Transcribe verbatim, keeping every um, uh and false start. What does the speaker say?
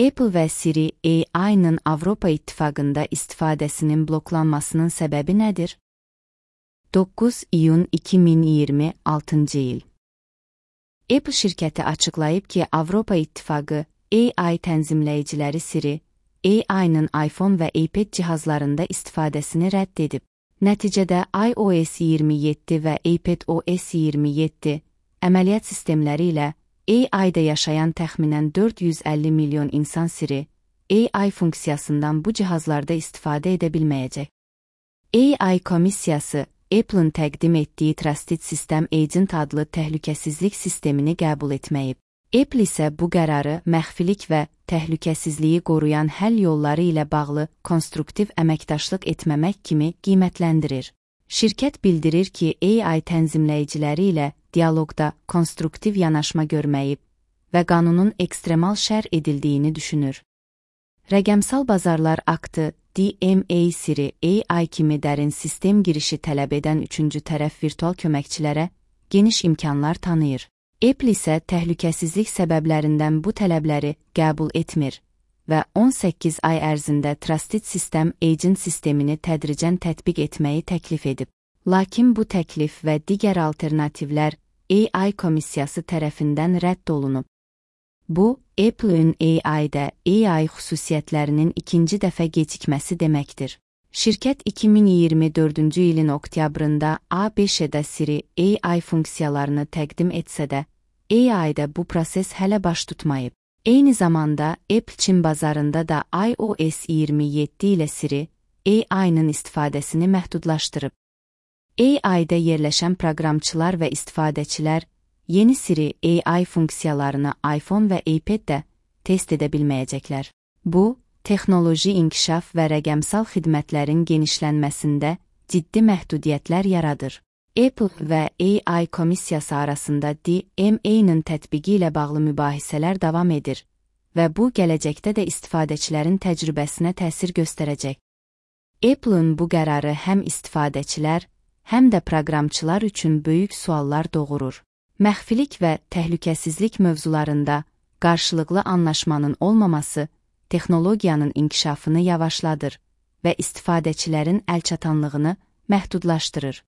Apple və Siri A I-nın Avropa İttifaqında istifadəsinin bloklanmasının səbəbi nədir? doqquz iyun iki min iyirmi altıncı il. Apple şirkəti açıqlayıb ki, Avropa İttifaqı A I tənzimləyiciləri Siri A I-nın iPhone və iPad cihazlarında istifadəsini rədd edib. Nəticədə iOS iyirmi yeddi və iPadOS iyirmi yeddi əməliyyat sistemləri ilə A I-da yaşayan təxminən dörd yüz əlli milyon insan Siri A I funksiyasından bu cihazlarda istifadə edə bilməyəcək. A I komissiyası Apple'ın təqdim etdiyi Trusted System Agent adlı təhlükəsizlik sistemini qəbul etməyib. Apple isə bu qərarı məxfilik və təhlükəsizliyi qoruyan həll yolları ilə bağlı konstruktiv əməkdaşlıq etməmək kimi qiymətləndirir. Şirkət bildirir ki, A I tənzimləyiciləri ilə dialoqda konstruktiv yanaşma görməyib və qanunun ekstremal şər edildiyini düşünür. Rəqəmsal Bazarlar Aktı D M A Siri A I kimi dərin sistem girişi tələb edən üçüncü tərəf virtual köməkçilərə geniş imkanlar tanıyır. Apple isə təhlükəsizlik səbəblərindən bu tələbləri qəbul etmir və on səkkiz ay ərzində Trusted System Agent sistemini tədricən tətbiq etməyi təklif edib. Lakin bu təklif və digər alternativlər A I komissiyası tərəfindən rədd olunub. Bu, Apple'ın A I-də A I xüsusiyyətlərinin ikinci dəfə gecikməsi deməkdir. Şirkət iki min iyirmi dördüncü ilin oktyabrında A B Ş-də Siri A I funksiyalarını təqdim etsə də, A I-də bu proses hələ baş tutmayıb. Eyni zamanda Apple Çin bazarında da iOS iyirmi yeddi ilə Siri A I-nın istifadəsini məhdudlaşdırıb. A I-də yerləşən proqramçılar və istifadəçilər yeni Siri A I funksiyalarını iPhone və iPad-də test edə bilməyəcəklər. Bu, texnoloji inkişaf və rəqəmsal xidmətlərin genişlənməsində ciddi məhdudiyyətlər yaradır. Apple və A I komissiyası arasında D M A-nın tətbiqi ilə bağlı mübahisələr davam edir və bu, gələcəkdə də istifadəçilərin təcrübəsinə təsir göstərəcək. Apple'ın bu qərarı həm istifadəçilər, həm də proqramçılar üçün böyük suallar doğurur. Məxfilik və təhlükəsizlik mövzularında qarşılıqlı anlaşmanın olmaması texnologiyanın inkişafını yavaşladır və istifadəçilərin əlçatanlığını məhdudlaşdırır.